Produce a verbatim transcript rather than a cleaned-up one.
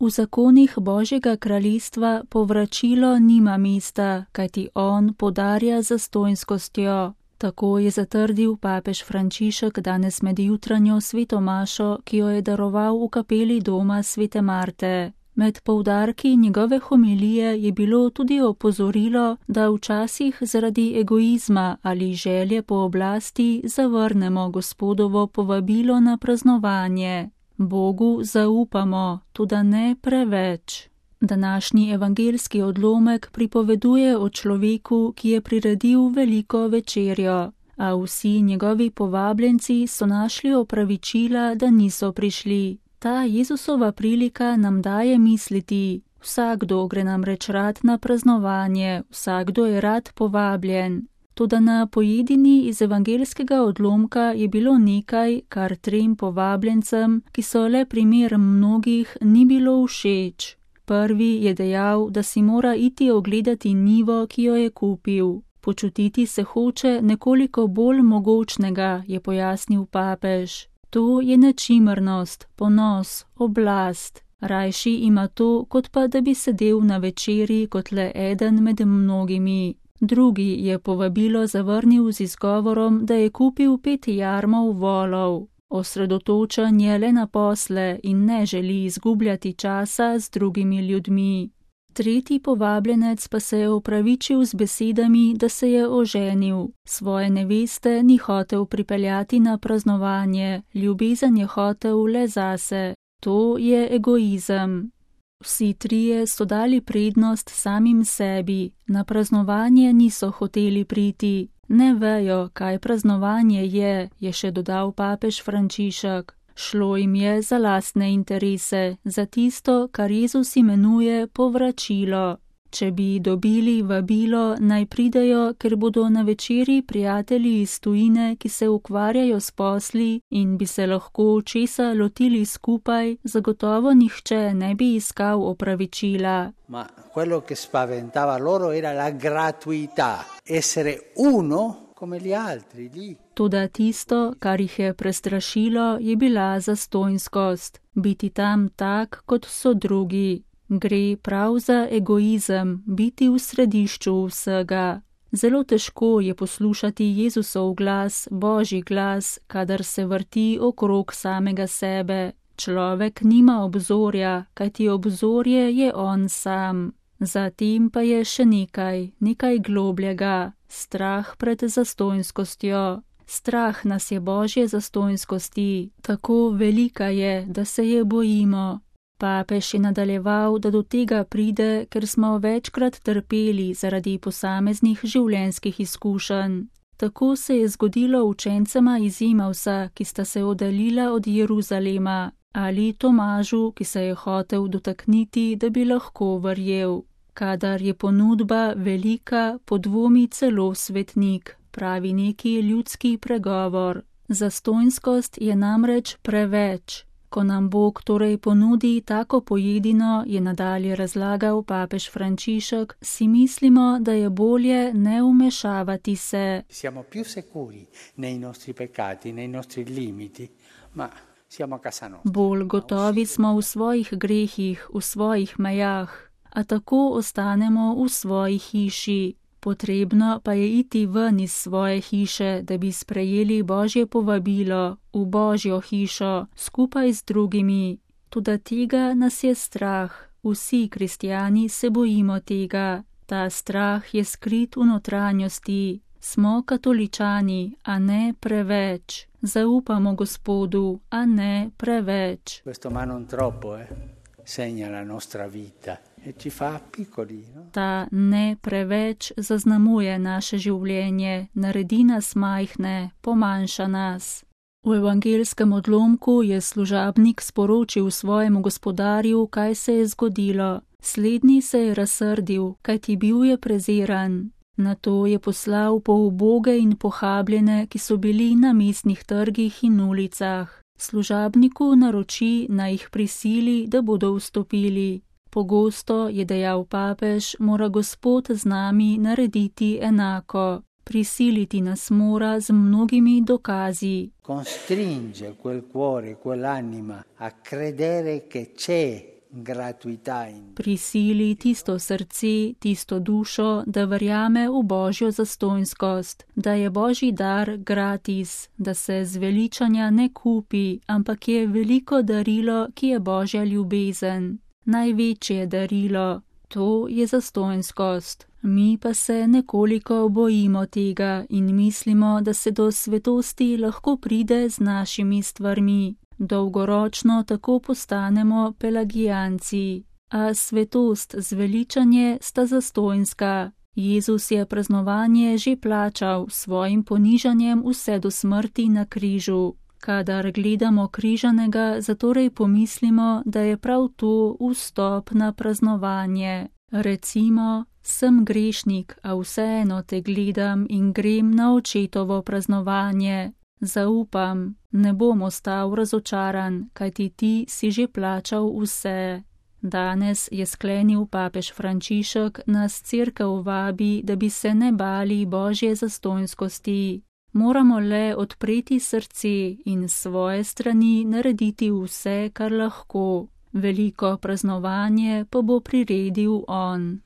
V zakonih Božjega kraljestva povračilo nima mesta, kajti on podarja z zastonjskostjo. Tako je zatrdil papež Frančišek danes med jutranjo sveto mašo, ki jo je daroval v kapeli doma svete Marte. Med poudarki njegove homilije je bilo tudi opozorilo, da včasih zaradi egoizma ali želje po oblasti zavrnemo Gospodovo povabilo na praznovanje. Bogu zaupamo, toda ne preveč. Današnji evangeljski odlomek pripoveduje o človeku, ki je priredil veliko večerjo, a vsi njegovi povabljenci so našli opravičila, da niso prišli. Ta Jezusova prilika nam daje misliti, vsakdo gre namreč rad na praznovanje, vsakdo je rad povabljen. Toda na pojedini iz evangeljskega odlomka je bilo nekaj, kar trem povabljencem, ki so le primer mnogih, ni bilo všeč. Prvi je dejal, da si mora iti ogledati njivo, ki jo je kupil. Počutiti se hoče nekoliko bolj mogočnega, je pojasnil papež. To je nečimrnost, ponos, oblast. Rajši ima to, kot pa da bi sedel na večeri kot le eden med mnogimi. Drugi je povabilo zavrnil z izgovorom, da je kupil pet jarmov volov. Osredotočen je le na posle in ne želi izgubljati časa z drugimi ljudmi. Tretji povabljenec pa se je opravičil z besedami, da se je oženil. Svoje neveste ni hotel pripeljati na praznovanje, ljubezen je hotel le zase. To je egoizem. Vsi trije so dali prednost samim sebi, na praznovanje niso hoteli priti. Ne vejo, kaj praznovanje je, je še dodal papež Frančišek. Šlo jim je za lastne interese, za tisto, kar Jezus imenuje povračilo. Če bi dobili vabilo, naj pridejo, ker bodo na večeri prijatelji iz tujine, ki se ukvarjajo s posli in bi se lahko česa lotili skupaj, zagotovo nihče ne bi iskal opravičila. Ma quello che spaventava loro era la gratuità, essere uno come gli altri lì. Toda tisto, kar jih je prestrašilo, je bila zastonjskost, biti tam tak, kot so drugi. Gre prav za egoizem, biti v središču vsega. Zelo težko je poslušati Jezusov glas, Božji glas, kadar se vrti okrog samega sebe. Človek nima obzorja, kajti obzorje je on sam. Zatem pa je še nekaj, nekaj globljega, strah pred zastonjskostjo. Strah nas je Božje zastonjskosti, tako velika je, da se je bojimo. Papež je nadaljeval, da do tega pride, ker smo večkrat trpeli zaradi posameznih življenjskih izkušenj. Tako se je zgodilo učencema iz Emausa, ki sta se oddaljila od Jeruzalema, ali Tomažu, ki se je hotel dotakniti, da bi lahko verjel. Kadar je ponudba velika, podvomi celo svetnik, pravi neki ljudski pregovor. Zastonjskost je namreč preveč. Ko nam Bog torej ponudi tako pojedino, je nadalje razlagal papež Frančišek, si mislimo, da je bolje ne vmešavati se. Siamo più sicuri nei nostri peccati, nei nostri limiti, ma siamo a casa nostra. Bolj gotovi smo v svojih grehih, v svojih mejah, a tako ostanemo v svoji hiši. Potrebno pa je iti ven iz svoje hiše, da bi sprejeli Božje povabilo v Božjo hišo skupaj z drugimi. Toda tega nas je strah. Vsi kristjani se bojimo tega. Ta strah je skrit v notranjosti. Smo katoličani, a ne preveč. Zaupamo Gospodu, a ne preveč. Questo ma non troppo, eh? Segna la nostra vita. Ta ne preveč zaznamuje naše življenje, naredi nas majhne, pomanjša nas. V evangeljskem odlomku je služabnik sporočil svojemu gospodarju, kaj se je zgodilo. Slednji se je razsrdil, kajti bil je preziran. Nato je poslal po uboge in pohabljene, ki so bili na mestnih trgih in ulicah. Služabniku naroči, naj jih prisili, da bodo vstopili. Pogosto, je dejal papež, mora Gospod z nami narediti enako. Prisiliti nas mora z mnogimi dokazi. Constringe quel cuore, quell'anima a credere che c'è gratuità in Prisili tisto srce, tisto dušo, da verjame v božjo zastonjskost, da je božji dar gratis, da se zveličanja ne kupi, ampak je veliko darilo, ki je božja ljubezen. Največje darilo, to je zastonjskost. Mi pa se nekoliko bojimo tega in mislimo, da se do svetosti lahko pride z našimi stvarmi. Dolgoročno tako postanemo pelagijanci. A svetost, zveličanje sta zastonjska. Jezus je praznovanje že plačal s svojim ponižanjem vse do smrti na križu. Kadar gledamo križanega, zatorej pomislimo, da je prav to vstop na praznovanje. Recimo, sem grešnik, a vseeno te gledam in grem na očetovo praznovanje. Zaupam, ne bom ostal razočaran, kajti ti si že plačal vse. Danes je sklenil papež Frančišek, nas cerkev vabi, da bi se ne bali božje zastonjskosti. Moramo le odpreti srce in svoje strani narediti vse, kar lahko. Veliko praznovanje pa bo priredil on.